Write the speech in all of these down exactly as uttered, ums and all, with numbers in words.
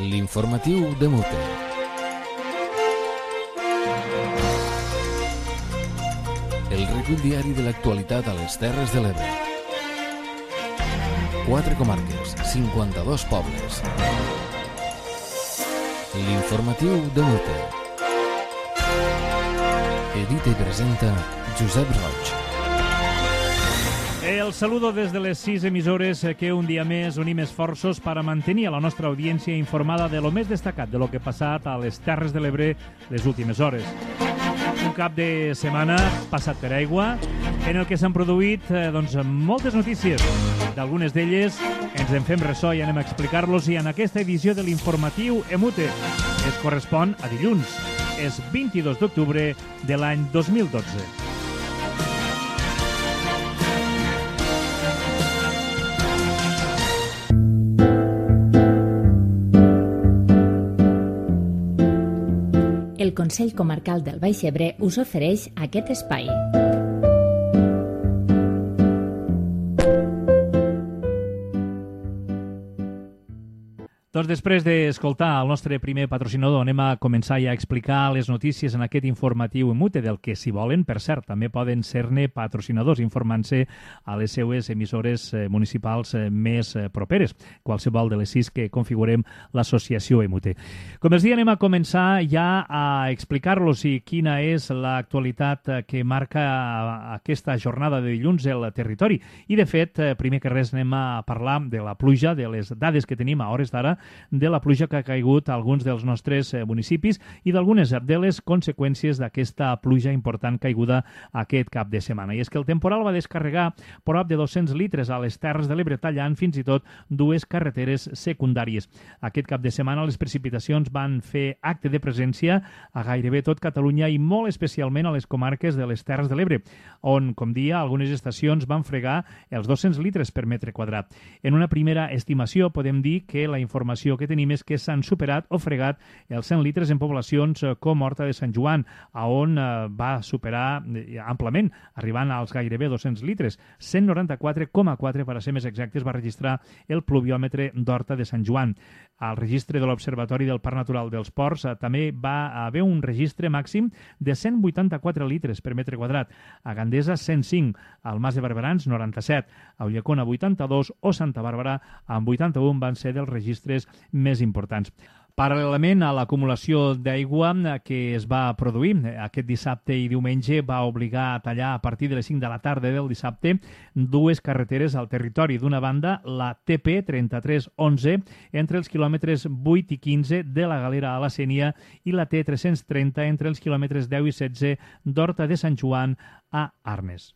L'informatiu de Mute. El recull diari de l'actualitat a les Terres de l'Ebre. Quatre comarques, cinquanta-dos pobles. L'informatiu de Mute. Edita i presenta Josep Roig. El saludo des de les sis emissores que un dia més unim esforços per a mantenir a la nostra audiència informada de lo més destacat de lo que ha passat a les Terres de l'Ebre les últimes hores. Un cap de setmana passat per aigua en el que s'han produït eh, doncs, moltes notícies. D'algunes d'elles ens en fem ressò i anem a explicar-los i en aquesta edició de l'informatiu Emute es correspon a dilluns. És vint-i-dos d'octubre de l'any dos mil dotze. El Consell Comarcal del Baix Ebre us ofereix aquest espai. Doncs després d'escoltar el nostre primer patrocinador, anem a començar ja a explicar les notícies en aquest informatiu Emute, del que, si volen, per cert, també poden ser-ne patrocinadors, informant-se a les seues emissores municipals més properes, qualsevol de les sis que configurem l'associació Emute. Com els dia, anem a començar ja a explicar-los quina és l'actualitat que marca aquesta jornada de dilluns al territori. I, de fet, primer que res anem a parlar de la pluja, de les dades que tenim a hores d'ara, de la pluja que ha caigut a alguns dels nostres municipis i d'algunes de les conseqüències d'aquesta pluja important caiguda aquest cap de setmana. I és que el temporal va descarregar prop de dos-cents litres a les Terres de l'Ebre, tallant fins i tot dues carreteres secundàries. Aquest cap de setmana les precipitacions van fer acte de presència a gairebé tot Catalunya i molt especialment a les comarques de les Terres de l'Ebre, on, com dia, algunes estacions van fregar els dos-cents litres per metre quadrat. En una primera estimació podem dir que la informació que tenim és que s'han superat o fregat els cent litres en poblacions com Horta de Sant Joan, on va superar amplament, arribant als gairebé dos-cents litres. cent noranta-quatre coma quatre, per a ser més exactes, va registrar el pluviòmetre d'Horta de Sant Joan. Al registre de l'Observatori del Parc Natural dels Ports també va haver un registre màxim de cent vuitanta-quatre litres per metre quadrat. A Gandesa, cent cinc, al Mas de Barberans, noranta-set, a Ulldecona, vuitanta-dos, o Santa Bàrbara, amb vuitanta-un, van ser dels registres més importants. Paral·lelament a l'acumulació d'aigua que es va produir aquest dissabte i diumenge, va obligar a tallar a partir de les cinc de la tarda del dissabte dues carreteres al territori. D'una banda, la T P trenta-tres onze entre els quilòmetres vuit i quinze de la Galera a la Sénia i la T tres-cents trenta entre els quilòmetres deu i setze d'Horta de Sant Joan a Arnes.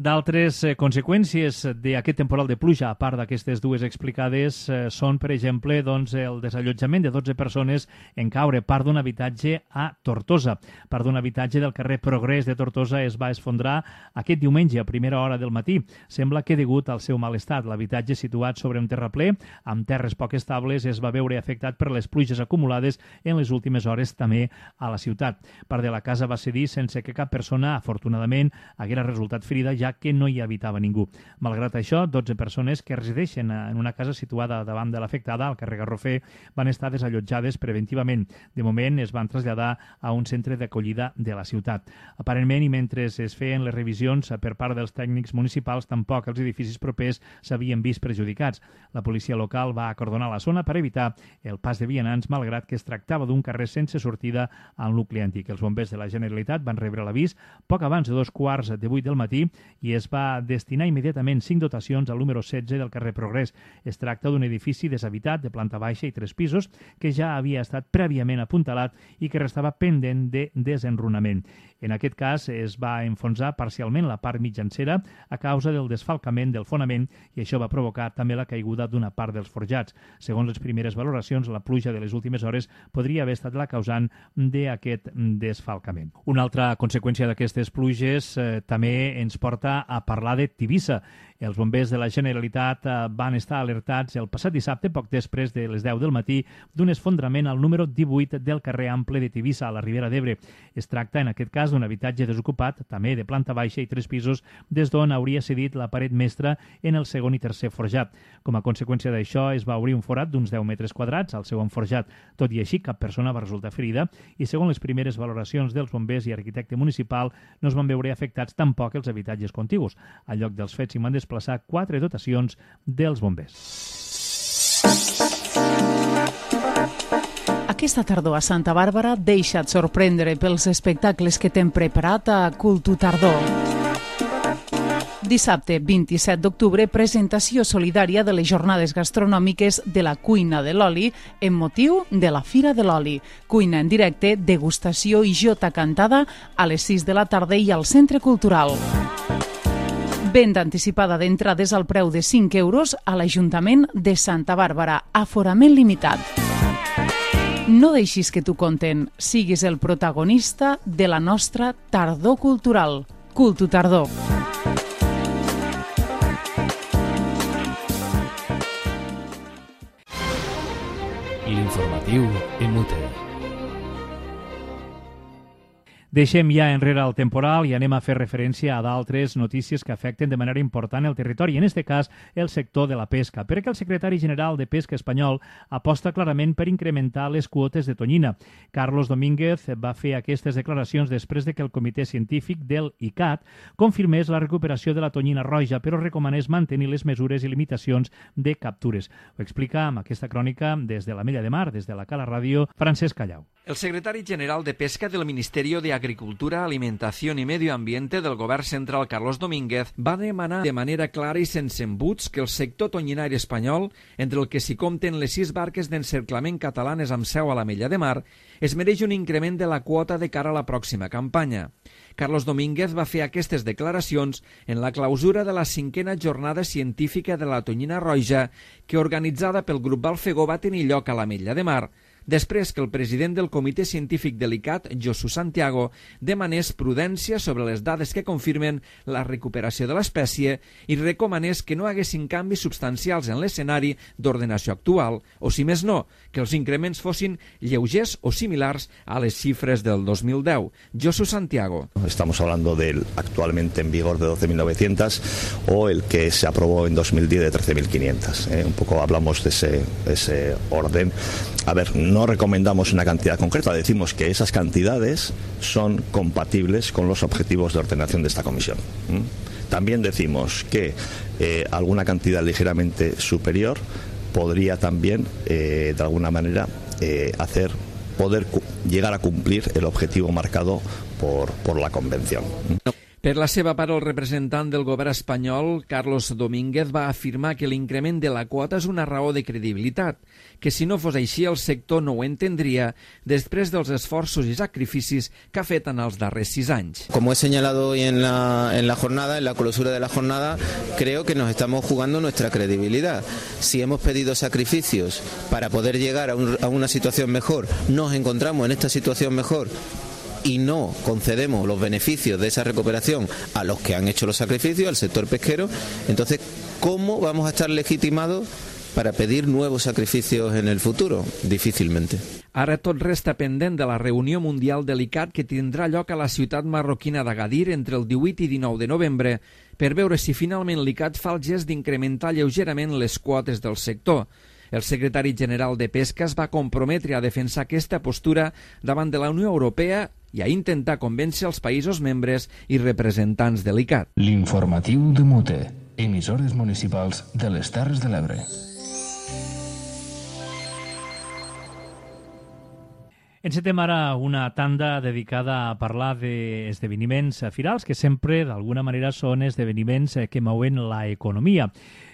D'altres eh, conseqüències d'aquest temporal de pluja, a part d'aquestes dues explicades, eh, són, per exemple, doncs, el desallotjament de dotze persones en caure part d'un habitatge a Tortosa. Part d'un habitatge del carrer Progrés de Tortosa es va esfondrar aquest diumenge a primera hora del matí. Sembla que, degut al seu mal estat, l'habitatge situat sobre un terraplè amb terres poc estables es va veure afectat per les pluges acumulades en les últimes hores també a la ciutat. Part de la casa va cedir sense que cap persona, afortunadament, haguera resultat ferida, ja que no hi habitava ningú. Malgrat això, dotze persones que resideixen en una casa situada davant de l'afectada, al carrer Garrofer, van estar desallotjades preventivament. De moment es van traslladar a un centre d'acollida de la ciutat. Aparentment, i mentre es feien les revisions per part dels tècnics municipals, tampoc els edificis propers s'havien vist perjudicats. La policia local va acordonar la zona per evitar el pas de vianants, malgrat que es tractava d'un carrer sense sortida al nucli antic. Els bombers de la Generalitat van rebre l'avís poc abans de dos quarts de vuit del matí i es va destinar immediatament cinc dotacions al número setze del carrer Progrés. Es tracta d'un edifici deshabitat de planta baixa i tres pisos que ja havia estat prèviament apuntalat i que restava pendent de desenrunament. En aquest cas es va enfonsar parcialment la part mitjancera a causa del desfalcament del fonament i això va provocar també la caiguda d'una part dels forjats. Segons les primeres valoracions, la pluja de les últimes hores podria haver estat la causant d'aquest desfalcament. Una altra conseqüència d'aquestes pluges eh, també ens porta a parlar de Tivissa. Els bombers de la Generalitat van estar alertats el passat dissabte, poc després de les deu del matí, d'un esfondrament al número divuit del carrer Ample de Tivissa, a la Ribera d'Ebre. Es tracta, en aquest cas, d'un habitatge desocupat, també de planta baixa i tres pisos, des d'on hauria cedit la paret mestra en el segon i tercer forjat. Com a conseqüència d'això, es va obrir un forat d'uns deu metres quadrats al segon forjat. Tot i així, cap persona va resultar ferida i, segons les primeres valoracions dels bombers i arquitecte municipal, no es van veure afectats tampoc els habitatges contigus. Al lloc dels fets s'hi van desplaçar quatre dotacions dels bombers. Aquesta tardor a Santa Bàrbara deixa't sorprendre pels espectacles que t'hem preparat a Cultu Tardor. Dissabte vint-i-set d'octubre, presentació solidària de les jornades gastronòmiques de la Cuina de l'Oli en motiu de la Fira de l'Oli. Cuina en directe, degustació i jota cantada a les sis de la tarda i al Centre Cultural. Venda anticipada d'entrades al preu de cinc euros a l'Ajuntament de Santa Bàrbara. Aforament limitat. No deixis que t'ho conten. Siguis el protagonista de la nostra tardor cultural. Cultu Tardor. L'informatiu en Mute. Deixem ja enrere el temporal i anem a fer referència a d'altres notícies que afecten de manera important el territori, en aquest cas el sector de la pesca, perquè el secretari general de Pesca espanyol aposta clarament per incrementar les quotes de tonyina. Carlos Domínguez va fer aquestes declaracions després de que el comitè científic del I C A T confirmés la recuperació de la tonyina roja, però recomanés mantenir les mesures i limitacions de captures. Ho explica amb aquesta crònica des de la Mella de Mar, des de la Cala Ràdio, Francesc Callau. El secretari general de Pesca del Ministerio de Agricultura, Alimentación y Medio Ambiente del Govern Central, Carlos Domínguez, va demanar de manera clara i sense embuts que el sector tonyinari espanyol, entre el que s'hi compten les sis barques d'encerclament catalanes amb seu a la Mella de Mar, es mereix un increment de la quota de cara a la pròxima campanya. Carlos Domínguez va fer aquestes declaracions en la clausura de la cinquena jornada científica de la tonyina roja que, organitzada pel grup Balfegó, va tenir lloc a la Mella de Mar, després que el president del comitè científic de l'I C A T, Josu Santiago, demanés prudència sobre les dades que confirmen la recuperació de l'espècie i recomanés que no haguessin canvis substancials en l'escenari d'ordenació actual, o si més no, que els increments fossin lleugers o similars a les xifres del dos mil deu. Josu Santiago. Estamos hablando del actualmente en vigor de doce mil novecientos o el que se aprobó en dos mil diez de trece mil quinientos. ¿eh? Un poco hablamos de ese, ese orden. A ver, no recomendamos una cantidad concreta, decimos que esas cantidades son compatibles con los objetivos de ordenación de esta comisión. ¿Mm? También decimos que eh, alguna cantidad ligeramente superior podría también, eh, de alguna manera, eh, hacer poder llegar a cumplir el objetivo marcado por, por la Convención. Per la seva part, el representant del govern espanyol, Carlos Domínguez, va afirmar que l'increment de la quota és una raó de credibilitat, que si no fos així el sector no ho entendria després dels esforços i sacrificis que ha fet en els darrers sis anys. Como he señalado hoy en la, en la jornada, en la clausura de la jornada, creo que nos estamos jugando nuestra credibilidad. Si hemos pedido sacrificios para poder llegar a, un, a una situación mejor, nos encontramos en esta situación mejor y no concedemos los beneficios de esa recuperación a los que han hecho los sacrificios, al sector pesquero, entonces, ¿cómo vamos a estar legitimados para pedir nuevos sacrificios en el futuro? Difícilmente. Ara tot resta pendent de la reunió mundial de l'I C A T que tindrà lloc a la ciutat marroquina d'Agadir entre el divuit i dinou de novembre per veure si finalment l'I C A T fa el gest d'incrementar lleugerament les quotes del sector. El secretari general de Pesca es va comprometre a defensar aquesta postura davant de la Unió Europea i a intentar convèncer els països membres i representants de l'I C A T. L'informatiu de Mute, emissores municipals de les Terres de l'Ebre. Encetem ara una tanda dedicada a parlar d'esdeveniments firals que sempre, d'alguna manera, són esdeveniments que mouen la economia.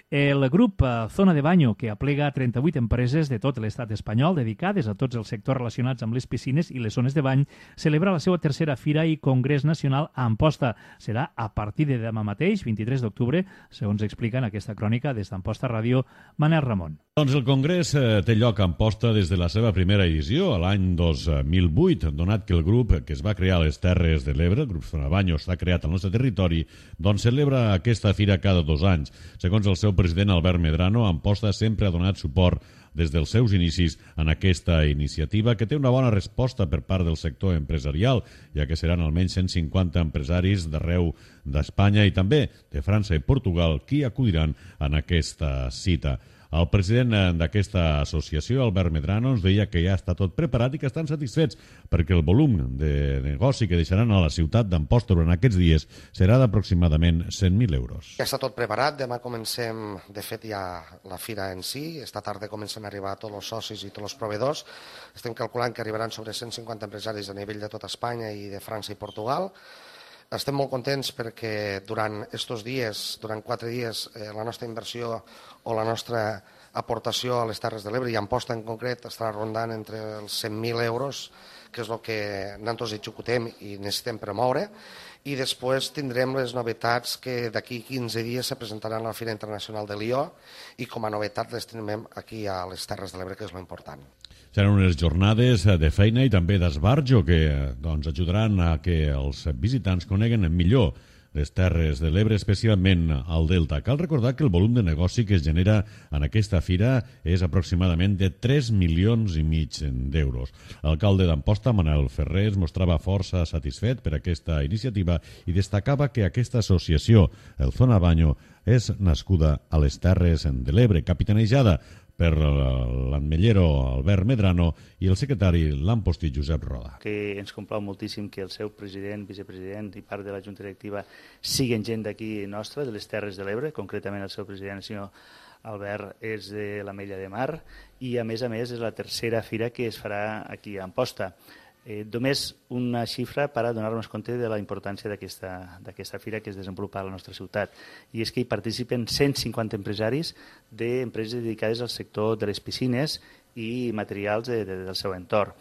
El grup Zona de Baño, que aplega trenta-vuit empreses de tot l'estat espanyol dedicades a tots els sectors relacionats amb les piscines i les zones de bany, celebra la seva tercera fira i congrés nacional a Amposta. Serà a partir de demà mateix, vint-i-tres d'octubre, segons explica en aquesta crònica des d'Amposta Ràdio, Manel Ramon. Doncs el Congrés té lloc a Amposta des de la seva primera edició, a l'any dos mil vuit, donat que el grup que es va crear a les Terres de l'Ebre, el grup Zona Banyo, està creat al nostre territori, doncs celebra aquesta fira cada dos anys. Segons el seu president Albert Medrano, Amposta sempre ha donat suport des dels seus inicis en aquesta iniciativa, que té una bona resposta per part del sector empresarial, ja que seran almenys cent cinquanta empresaris d'arreu d'Espanya i també de França i Portugal qui acudiran en aquesta cita. El president d'aquesta associació, Albert Medrano, ens deia que ja està tot preparat i que estan satisfets perquè el volum de negoci que deixaran a la ciutat d'Amposta durant aquests dies serà d'aproximadament cent mil euros. Ja està tot preparat, demà comencem, de fet, ja la fira en si, esta tarda comencen a arribar tots els socis i tots els proveïdors, estem calculant que arribaran sobre cent cinquanta empresaris a nivell de tota Espanya i de França i Portugal. Estem molt contents perquè durant aquests dies, durant quatre dies, eh, la nostra inversió o la nostra aportació a les Terres de l'Ebre, i Amposta en concret, estarà rondant entre els cent mil euros, que és el que nosaltres executem i necessitem promoure, i després tindrem les novetats que d'aquí quinze dies se presentaran a la Fira Internacional de Lió i com a novetat les tenim aquí a les Terres de l'Ebre, que és l'important. Seran unes jornades de feina i també d'esbarjo que doncs, ajudaran a que els visitants coneguen millor les Terres de l'Ebre, especialment al Delta. Cal recordar que el volum de negoci que es genera en aquesta fira és aproximadament de tres milions i mig d'euros. L'alcalde d'Amposta, Manel Ferrer, es mostrava força satisfet per aquesta iniciativa i destacava que aquesta associació, el Zona Banyo, és nascuda a les Terres de l'Ebre, capitanejada per l'admellero Albert Medrano i el secretari l'ampostí Josep Roda. Que ens complau moltíssim que el seu president, vicepresident i part de la Junta Directiva siguin gent d'aquí nostra, de les Terres de l'Ebre, concretament el seu president, el senyor Albert, és de l'Ametlla de Mar i a més a més és la tercera fira que es farà aquí a Amposta. Eh, només una xifra per a donar-nos compte de la importància d'aquesta fira que es desenvolupa a la nostra ciutat. I és que hi participen cent cinquanta empresaris d'empreses dedicades al sector de les piscines i materials de, de, del seu entorn.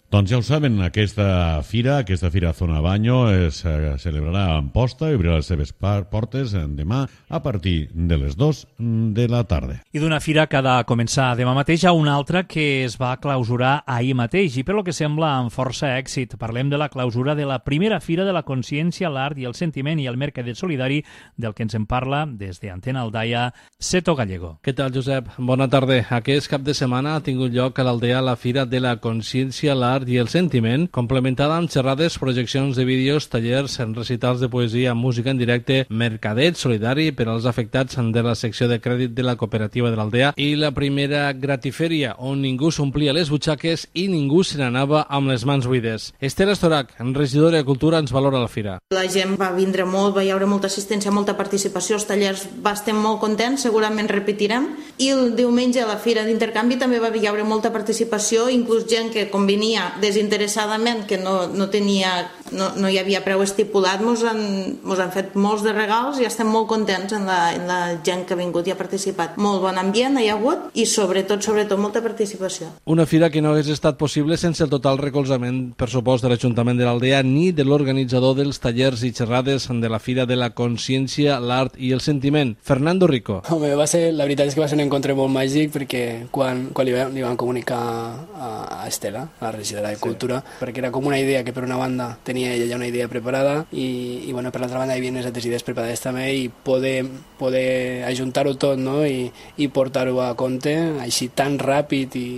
Doncs ja ho saben, aquesta fira, aquesta fira Zona Banyo es eh, celebrarà a Amposta i obrirà les seves portes demà a partir de les dues de la tarda. I d'una fira que ha de començar demà mateix a una altra que es va clausurar ahir mateix i per lo que sembla amb força èxit. Parlem de la clausura de la primera fira de la consciència, l'art i el sentiment i el mercadet solidari, del que ens en parla des d'Antena Aldaia, Seto Gallego. Què tal, Josep? Bona tarda. Aquest cap de setmana ha tingut lloc a l'Aldea la Fira de la Consciència, l'Art i el Sentiment, complementada amb xerrades, projeccions de vídeos, tallers, recitals de poesia, música en directe, mercadet solidari per als afectats de la secció de crèdit de la cooperativa de l'Aldea i la primera gratifèria, on ningú s'omplia les butxaques i ningú se n'anava amb les mans buides. Esther Estorac, regidora de Cultura, ens valora la fira. La gent va vindre molt, va hi haure molta assistència, molta participació, els tallers va estar molt contents, segurament repetirem, i el diumenge a la fira d'intercanvi també va hi haure molta participació, inclús gent que convenia desinteressadament, que no, no, tenia, no, no hi havia preu estipulat, mos han, mos han fet molts de regals i estem molt contents en la, en la gent que ha vingut i ha participat. Molt bon ambient hi ha hagut i sobretot, sobretot molta participació. Una fira que no hagués estat possible sense el total recolzament, per supost, de l'Ajuntament de l'Aldea ni de l'organitzador dels tallers i xerrades de la Fira de la Consciència, l'Art i el Sentiment, Fernando Rico. Home, va ser, la veritat és que va ser un encontre molt màgic perquè quan, quan li, vam, li vam comunicar a, a Estela, a la regidora de Cultura, sí, perquè era com una idea que per una banda tenia ella ja una idea preparada i, i bueno, per l'altra banda hi havia unes altres idees preparades també i poder, poder ajuntar-ho tot, no? I, i portar-ho a compte així tan ràpid i,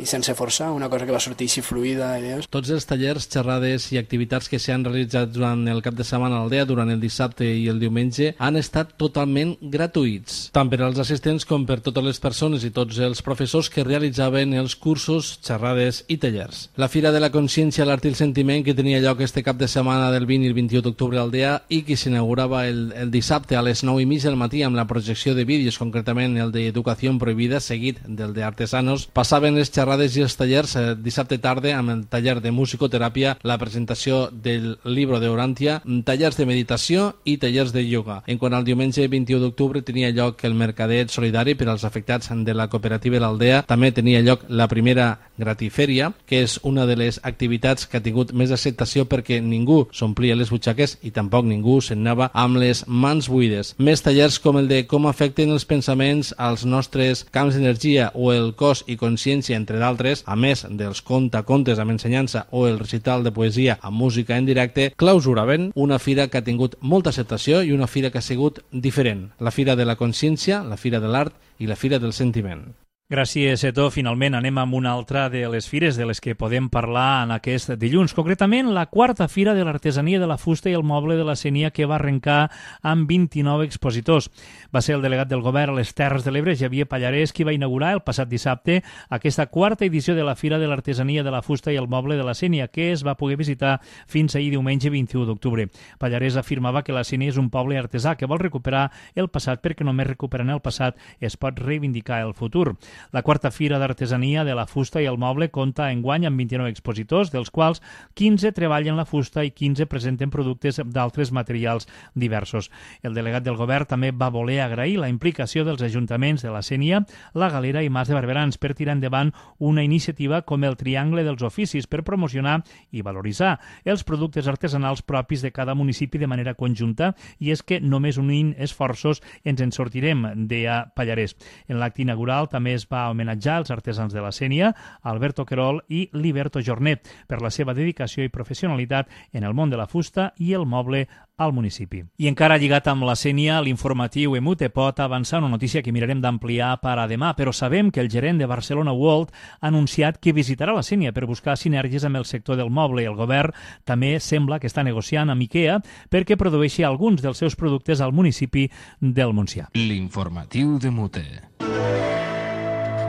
i sense forçar, una cosa que va sortir així fluida. Idees. Tots els tallers, xerrades i activitats que s'han realitzat durant el cap de setmana a l'Aldea, durant el dissabte i el diumenge, han estat totalment gratuïts, tant per als assistents com per totes les persones i tots els professors que realitzaven els cursos, xerrades i tallers. La Fira de la Consciència, l'Art i el Sentiment, que tenia lloc este cap de setmana del vint i el vint-i-u d'octubre a l'Aldea i que s'inaugurava el, el dissabte a les nou i mig del matí amb la projecció de vídeos, concretament el d'Educació Prohibida, seguit del d'Artesanos, passaven les xerrades i els tallers eh, dissabte tarda amb el taller de musicoteràpia, la presentació del llibre d'Orantia, tallers de meditació i tallers de ioga. En quant al diumenge vint-i-u d'octubre tenia lloc el mercadet solidari per als afectats de la cooperativa de l'Aldea. També tenia lloc la primera gratifèria, que és és una de les activitats que ha tingut més acceptació perquè ningú s'omplia les butxaques i tampoc ningú se'n anava amb les mans buides. Més tallers com el de com afecten els pensaments als nostres camps d'energia o el cos i consciència, entre d'altres, a més dels contacontes amb ensenyança o el recital de poesia amb música en directe, clausuraven una fira que ha tingut molta acceptació i una fira que ha sigut diferent. La Fira de la Consciència, la Fira de l'Art i la Fira del Sentiment. Gràcies, Eto. Finalment anem amb una altra de les fires de les que podem parlar en aquest dilluns. Concretament, la quarta Fira de l'Artesania de la Fusta i el Moble de la Sénia, que va arrencar amb vint-i-nou expositors. Va ser el delegat del govern a les Terres de l'Ebre, Xavier Pallarès, qui va inaugurar el passat dissabte aquesta quarta edició de la Fira de l'Artesania de la Fusta i el Moble de la Sénia, que es va poder visitar fins ahir diumenge vint-i-u d'octubre. Pallarès afirmava que la Sénia és un poble artesà que vol recuperar el passat perquè només recuperant el passat es pot reivindicar el futur. La quarta Fira d'Artesania de la Fusta i el Moble compta enguany amb vint-i-nou expositors, dels quals quinze treballen la fusta i quinze presenten productes d'altres materials diversos. El delegat del govern també va voler agrair la implicació dels ajuntaments de la Sénia, la Galera i Mas de Barberans per tirar endavant una iniciativa com el Triangle dels Oficis per promocionar i valoritzar els productes artesanals propis de cada municipi de manera conjunta, i és que només unint esforços ens en sortirem, deia Pallarès. En l'acte inaugural també es va homenatjar els artesans de la Sénia, Alberto Querol i Liberto Jornet, per la seva dedicació i professionalitat en el món de la fusta i el moble al municipi. I encara lligat amb la Sénia, l'informatiu Emute pot avançar una notícia que mirarem d'ampliar per a demà, però sabem que el gerent de Barcelona World ha anunciat que visitarà la Sénia per buscar sinergies amb el sector del moble, i el govern també sembla que està negociant amb IKEA perquè produeixi alguns dels seus productes al municipi del Montsià. L'informatiu de Mute.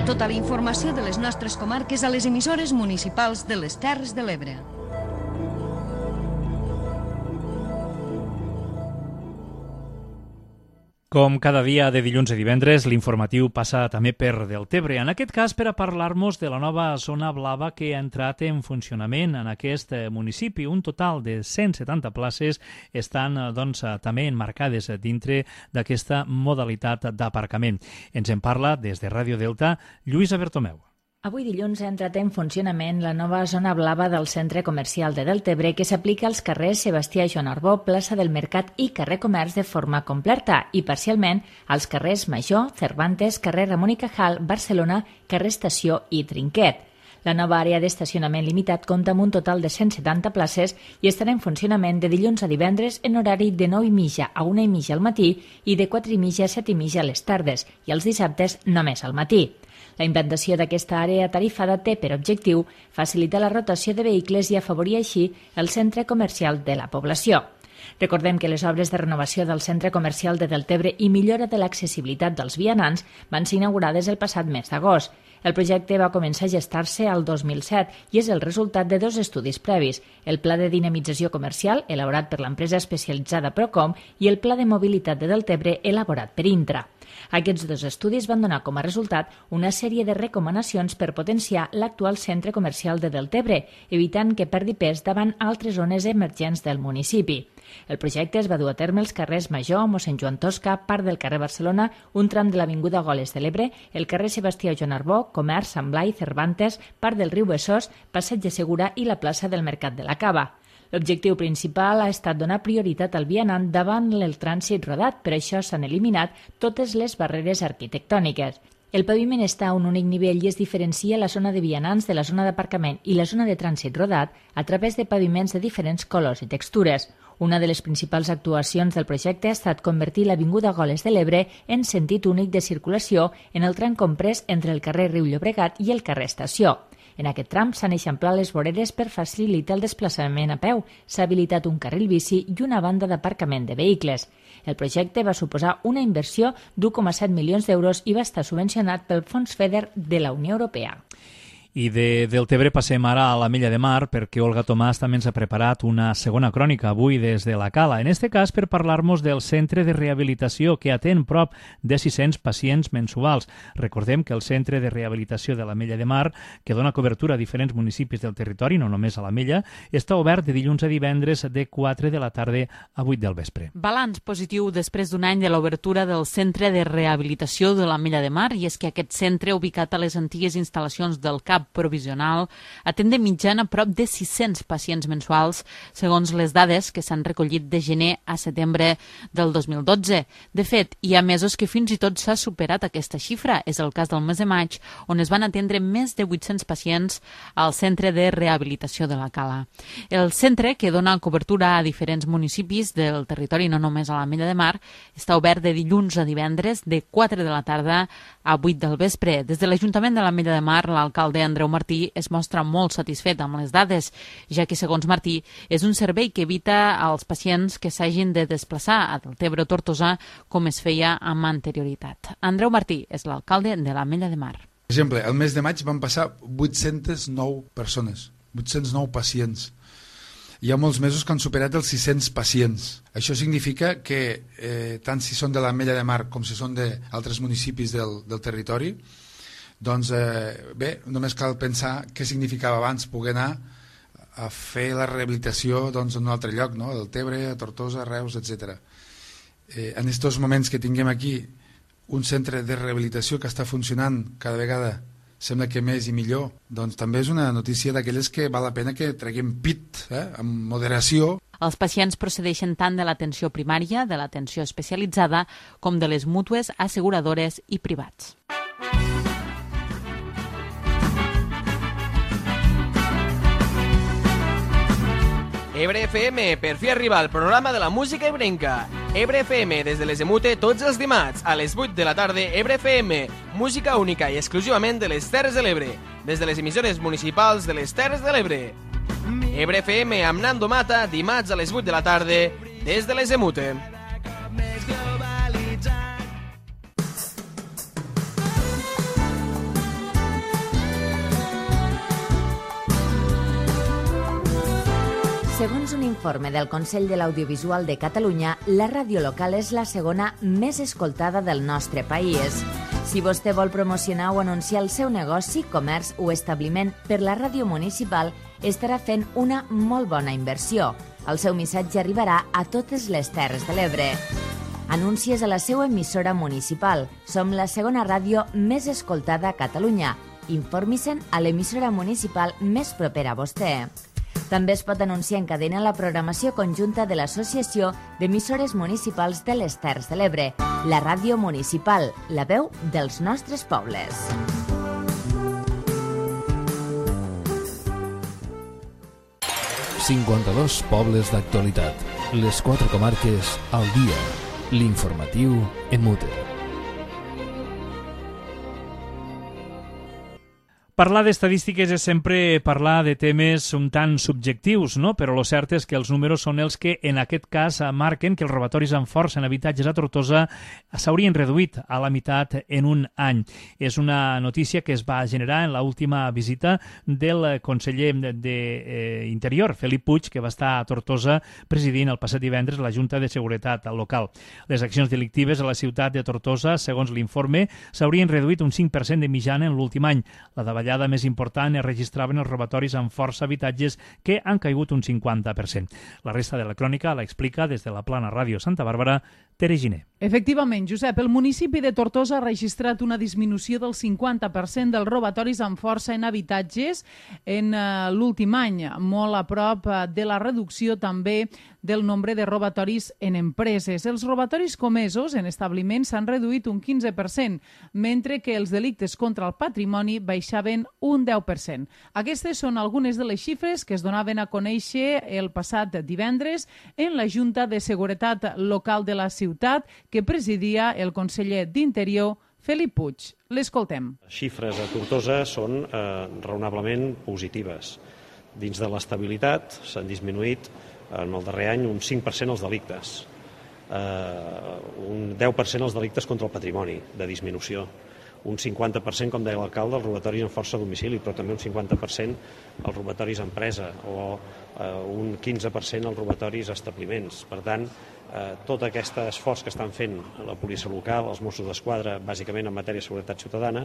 Tota la informació de les nostres comarques a les emissores municipals de les Terres de l'Ebre. Com cada dia de dilluns a divendres, l'informatiu passa també per Deltebre. En aquest cas, per a parlar-nos de la nova zona blava que ha entrat en funcionament en aquest municipi. Un total de cent setanta places estan doncs, també enmarcades dintre d'aquesta modalitat d'aparcament. Ens en parla des de Ràdio Delta, Lluïsa Bertomeu. Avui dilluns ha entrat en funcionament la nova zona blava del centre comercial de Deltebre, que s'aplica als carrers Sebastià Joan Arbó, plaça del Mercat i carrer Comerç de forma completa, i parcialment als carrers Major, Cervantes, carrer Ramon i Cajal, Barcelona, carrer Estació i Trinquet. La nova àrea d'estacionament limitat compta amb un total de cent setanta places i estarà en funcionament de dilluns a divendres en horari de nou i mitja a una i mitja al matí i de quatre i mitja a set i mitja a les tardes, i els dissabtes només al matí. La implantació d'aquesta àrea tarifada té per objectiu facilitar la rotació de vehicles i afavorir així el centre comercial de la població. Recordem que les obres de renovació del centre comercial de Deltebre i millora de l'accessibilitat dels vianants van ser inaugurades el passat mes d'agost. El projecte va començar a gestar-se al dos mil set i és el resultat de dos estudis previs, el Pla de Dinamització Comercial, elaborat per l'empresa especialitzada Procom, i el Pla de Mobilitat de Deltebre, elaborat per Intra. Aquests dos estudis van donar com a resultat una sèrie de recomanacions per potenciar l'actual centre comercial de Deltebre, evitant que perdi pes davant altres zones emergents del municipi. El projecte es va dur a terme als carrers Major, mossèn Joan Tosca, part del carrer Barcelona, un tram de l'avinguda Goles de l'Ebre, el carrer Sebastià Joan Arbó, Comerç, Sant Blai, Cervantes, part del riu Besòs, Passeig de Segura i la plaça del Mercat de la Cava. L'objectiu principal ha estat donar prioritat al vianant davant el trànsit rodat, per això s'han eliminat totes les barreres arquitectòniques. El paviment està a un únic nivell i es diferencia la zona de vianants de la zona d'aparcament i la zona de trànsit rodat a través de paviments de diferents colors i textures. Una de les principals actuacions del projecte ha estat convertir l'Avinguda Goles de l'Ebre en sentit únic de circulació en el tram comprès entre el carrer Riu Llobregat i el carrer Estació. En aquest tram s'han eixamplat les voreres per facilitar el desplaçament a peu, s'ha habilitat un carril bici i una banda d'aparcament de vehicles. El projecte va suposar una inversió d'u coma set milions d'euros i va estar subvencionat pel Fons FEDER de la Unió Europea. I de Deltebre passem ara a l'Ametlla de Mar, perquè Olga Tomàs també ens ha preparat una segona crònica avui des de la Cala. En este cas per parlar-nos del centre de rehabilitació que atén prop de sis-cents pacients mensuals. Recordem que el centre de rehabilitació de l'Ametlla de Mar, que dona cobertura a diferents municipis del territori, no només a l'Ametlla, està obert de dilluns a divendres de quatre de la tarda a vuit del vespre. Balanç positiu després d'un any de l'obertura del centre de rehabilitació de l'Ametlla de Mar, i és que aquest centre, ubicat a les antigues instal·lacions del C A P provisional atén de mitjana prop de sis-cents pacients mensuals, segons les dades que s'han recollit de gener a setembre del dos mil dotze. De fet, hi ha mesos que fins i tot s'ha superat aquesta xifra. És el cas del mes de maig, on es van atendre més de vuit-cents pacients al Centre de Rehabilitació de la Cala. El centre, que dona cobertura a diferents municipis del territori, no només a l'Ametlla de Mar, està obert de dilluns a divendres de quatre de la tarda a vuit del vespre. Des de l'Ajuntament de l'Ametlla de Mar, l'alcalde Andreu Martí es mostra molt satisfet amb les dades, ja que, segons Martí, és un servei que evita als pacients que s'hagin de desplaçar a Deltebre o Tortosa com es feia amb anterioritat. Andreu Martí és l'alcalde de l'Ametlla de Mar. Per exemple, el mes de maig van passar vuit-centes nou persones, vuit-cents nou pacients. Hi ha molts mesos que han superat els sis-cents pacients. Això significa que eh, tant si són de l'Ametlla de Mar com si són d'altres municipis del, del territori, doncs eh, bé, només cal pensar què significava abans poder anar a fer la rehabilitació doncs, en un altre lloc, no? Del Tebre, a Tortosa, Reus, etcètera. Eh, en aquests moments que tinguem aquí un centre de rehabilitació que està funcionant cada vegada sembla que més i millor, doncs també és una notícia d'aquelles que val la pena que treguem pit, eh, amb moderació. Els pacients procedeixen tant de l'atenció primària, de l'atenció especialitzada, com de les mútues, asseguradores i privats. Ebre F M, per fi arriba al programa de la música ebrenca. Ebre F M, des de les Emute, tots els dimarts, a les vuit de la tarda, Ebre F M, música única i exclusivament de les Terres de l'Ebre, des de les emissores municipals de les Terres de l'Ebre. Ebre F M amb Nando Mata, dimarts a les vuit de la tarda, des de les Emute. Segons un informe del Consell de l'Audiovisual de Catalunya, la ràdio local és la segona més escoltada del nostre país. Si vostè vol promocionar o anunciar el seu negoci, comerç o establiment per la ràdio municipal, estarà fent una molt bona inversió. El seu missatge arribarà a totes les Terres de l'Ebre. Anuncies a la seva emissora municipal. Som la segona ràdio més escoltada a Catalunya. Informi-se'n a l'emissora municipal més propera a vostè. També es pot anunciar en cadena la programació conjunta de l'Associació d'Emissores Municipals de les Terres de l'Ebre, la ràdio municipal, la veu dels nostres pobles. cinquanta-dos pobles d'actualitat, les quatre comarques al dia, l'informatiu en Mute. Parlar d'estadístiques és sempre parlar de temes un tant subjectius, no? Però el cert és que els números són els que en aquest cas marquen que els robatoris amb força en habitatges a Tortosa s'haurien reduït a la meitat en un any. És una notícia que es va generar en l'última visita del conseller d'Interior, Felip Puig, que va estar a Tortosa presidint el passat divendres la Junta de Seguretat local. Les accions delictives a la ciutat de Tortosa, segons l'informe, s'haurien reduït un cinc per cent de mitjana en l'últim any. La davallada La més important es registraven els robatoris amb força habitatges que han caigut un cinquanta per cent. La resta de la crònica la explica des de la Plana Ràdio Santa Bàrbara, Tere Giner. Efectivament, Josep, el municipi de Tortosa ha registrat una disminució del cinquanta per cent dels robatoris amb força en habitatges en uh, l'últim any, molt a prop uh, de la reducció també del nombre de robatoris en empreses. Els robatoris comesos en establiments s'han reduït un quinze per cent, mentre que els delictes contra el patrimoni baixaven un deu per cent. Aquestes són algunes de les xifres que es donaven a conèixer el passat divendres en la Junta de Seguretat Local de la ciutat, que presidia el conseller d'Interior, Felip Puig. L'escoltem. Les xifres a Tortosa són eh, raonablement positives. Dins de l'estabilitat s'han disminuït en el darrer any un cinc per cent els delictes, eh, un deu per cent els delictes contra el patrimoni, de disminució, un cinquanta per cent, com deia l'alcalde, els robatoris amb força a domicili, però també un cinquanta per cent els robatoris a empresa o un quinze per cent els robatoris a establiments. Per tant, Eh, tot aquest esforç que estan fent la policia local, els Mossos d'Esquadra, bàsicament en matèria de seguretat ciutadana,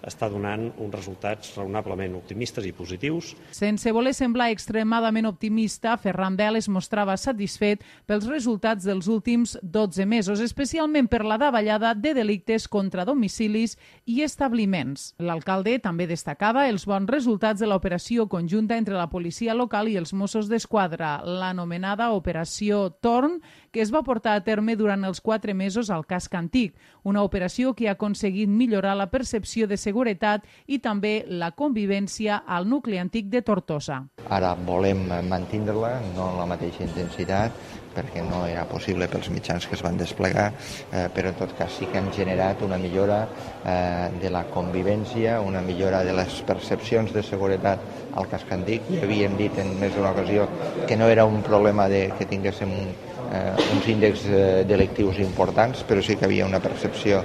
està donant uns resultats raonablement optimistes i positius. Sense voler semblar extremadament optimista, Ferran Bel es mostrava satisfet pels resultats dels últims dotze mesos, especialment per la davallada de delictes contra domicilis i establiments. L'alcalde també destacava els bons resultats de l'operació conjunta entre la policia local i els Mossos d'Esquadra, l'anomenada Operació Torn, que es va portar a terme durant els quatre mesos al casc antic, una operació que ha aconseguit millorar la percepció de seguretat i també la convivència al nucli antic de Tortosa. Ara volem mantenir-la, no en la mateixa intensitat, perquè no era possible pels mitjans que es van desplegar, eh, però en tot cas sí que han generat una millora eh, de la convivència, una millora de les percepcions de seguretat al casc antic. Ja havíem dit en més d'una ocasió que no era un problema de que tinguéssim un Eh, uns índexs eh, delictius importants, però sí que havia una percepció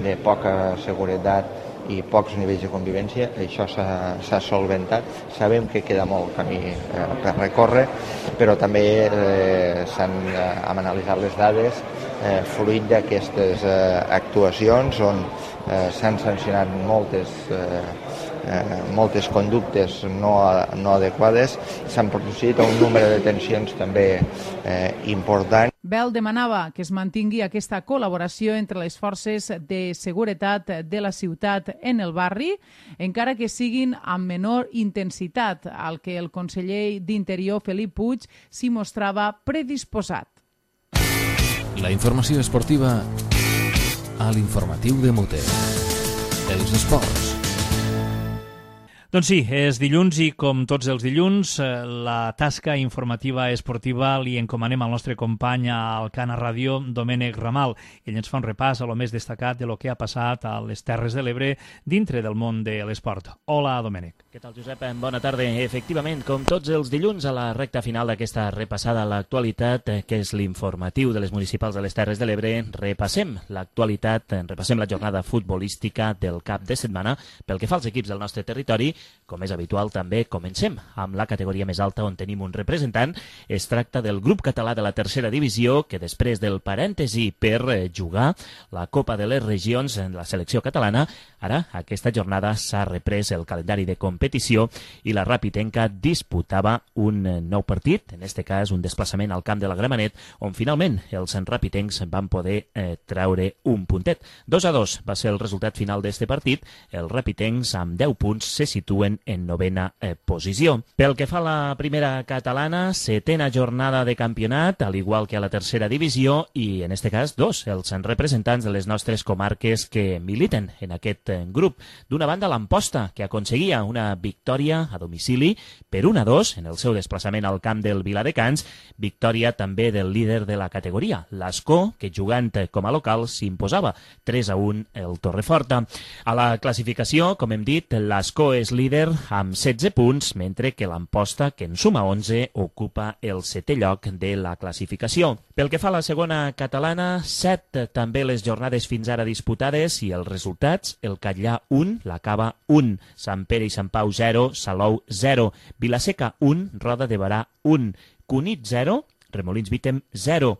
de poca seguretat i pocs nivells de convivència. Això s'ha solventat. Sabem que queda molt camí eh, per recórrer, però també eh, s'han eh, analitzat les dades eh, fruit d'aquestes eh, actuacions on eh, s'han sancionat moltes eh, Eh, moltes conductes no, no adequades, s'han produït un número de detencions també eh, important. Bel demanava que es mantingui aquesta col·laboració entre les forces de seguretat de la ciutat en el barri, encara que siguin amb menor intensitat, al que el conseller d'Interior, Felip Puig, s'hi mostrava predisposat. La informació esportiva a l'informatiu de Mute. Els esports. Doncs sí, és dilluns i com tots els dilluns la tasca informativa esportiva li encomanem al nostre company al Cana Ràdio, Domènec Ramal. Ell ens fa un repàs a lo més destacat de lo que ha passat a les Terres de l'Ebre dintre del món de l'esport. Hola, Domènec. Què tal, Josep? Bona tarda. Efectivament, com tots els dilluns, a la recta final d'aquesta repassada a l'actualitat, que és l'informatiu de les municipals de les Terres de l'Ebre, repassem l'actualitat, repassem la jornada futbolística del cap de setmana pel que fa als equips del nostre territori. Com és habitual, també comencem amb la categoria més alta on tenim un representant. Es tracta del grup català de la tercera divisió, que després del parèntesi per jugar la Copa de les Regions en la selecció catalana, ara aquesta jornada s'ha reprès el calendari de competició i la Rapitenca disputava un nou partit, en aquest cas un desplaçament al camp de la Gramenet, on finalment els rapitencs van poder eh, traure un puntet. dos a dos va ser el resultat final d'aquest partit. Els rapitencs amb deu punts se situen en novena eh, posició. Pel que fa a la primera catalana, setena jornada de campionat, al igual que a la tercera divisió, i en este cas dos, els representants de les nostres comarques que militen en aquest eh, grup. D'una banda, l'Amposta, que aconseguia una victòria a domicili per un a dos en el seu desplaçament al camp del Viladecans, victòria també del líder de la categoria, l'Ascó, que jugant com a local s'imposava tres a un el Torreforta. A la classificació, com hem dit, l'Ascó és líder amb setze punts, mentre que l'Amposta, que en suma onze, ocupa el setè lloc de la classificació. Pel que fa a la segona catalana, set també les jornades fins ara disputades i els resultats: el Catllà un, l'Acaba un, Sant Pere i Sant Pau zero, Salou zero, Vilaseca un, Roda de Barà un, Cunit zero, Remolins Vítem zero,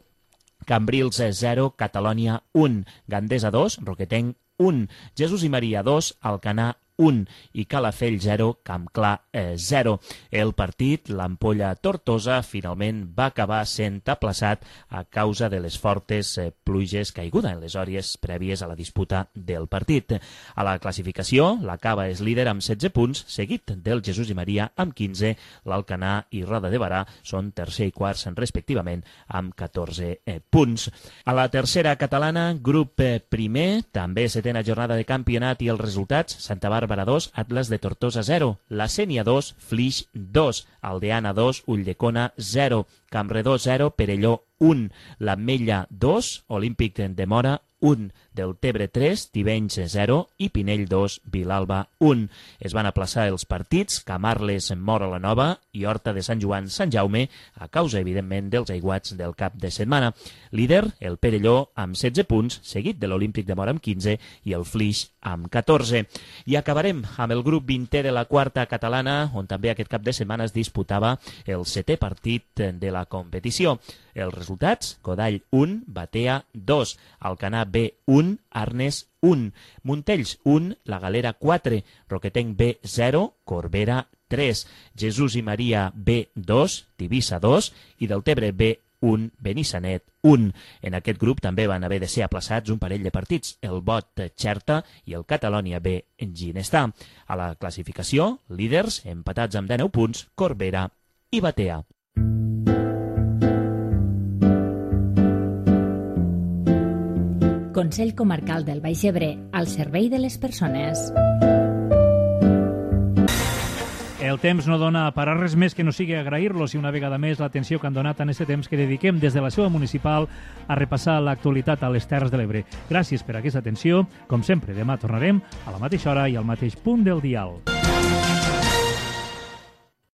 Cambrils zero, Catalònia un, Gandesa dos, Roquetenc un, Jesús i Maria dos, Alcanar un i Calafell zero, Campclar zero. El partit, l'Ampolla Tortosa, finalment va acabar sent aplaçat a causa de les fortes pluges caiguda en les hores prèvies a la disputa del partit. A la classificació, l'Acaba és líder amb setze punts, seguit del Jesús i Maria amb quinze, l'Alcanar i Roda de Barà són tercer i quarts respectivament amb catorze punts. A la tercera catalana, grup primer, també setena jornada de campionat i els resultats: Santa Bàrbara dos, Atlas de Tortosa zero, La Sénia dos, Flix dos, Aldeana dos, Ulldecona zero, Campredó zero, Perelló un, l'Ametlla dos, Olímpic de Mora un, Deltebre tres, Tivenys zero i Pinell dos, Vilalba un. Es van aplaçar els partits Camarles, Móra la Nova i Horta de Sant Joan, Sant Jaume, a causa, evidentment, dels aiguats del cap de setmana. Líder, el Perelló, amb setze punts, seguit de l'Olímpic de Móra amb quinze i el Flix amb catorze. I acabarem amb el grup vintè de la quarta catalana, on també aquest cap de setmana es disputava el setè partit de la competició. Els resultats, Godall un, Batea dos, Alcanar B un, Arnes un, Montells un, La Galera quatre, Roquetenc B zero, Corbera tres, Jesús i Maria B dos, Tivissa dos i Deltebre B un, Benissanet un. En aquest grup també van haver de ser aplaçats un parell de partits, el Bot Xerta i el Catalònia B Ginestar. A la classificació, líders empatats amb dinou punts, Corbera i Batea. Consell Comarcal del Baix Ebre, al servei de les persones. El temps no dona per a res més que no sigui agrair-los i una vegada més l'atenció que han donat en aquest temps que dediquem des de la seva municipal a repassar l'actualitat a les Terres de l'Ebre. Gràcies per aquesta atenció. Com sempre, demà tornarem a la mateixa hora i al mateix punt del dial.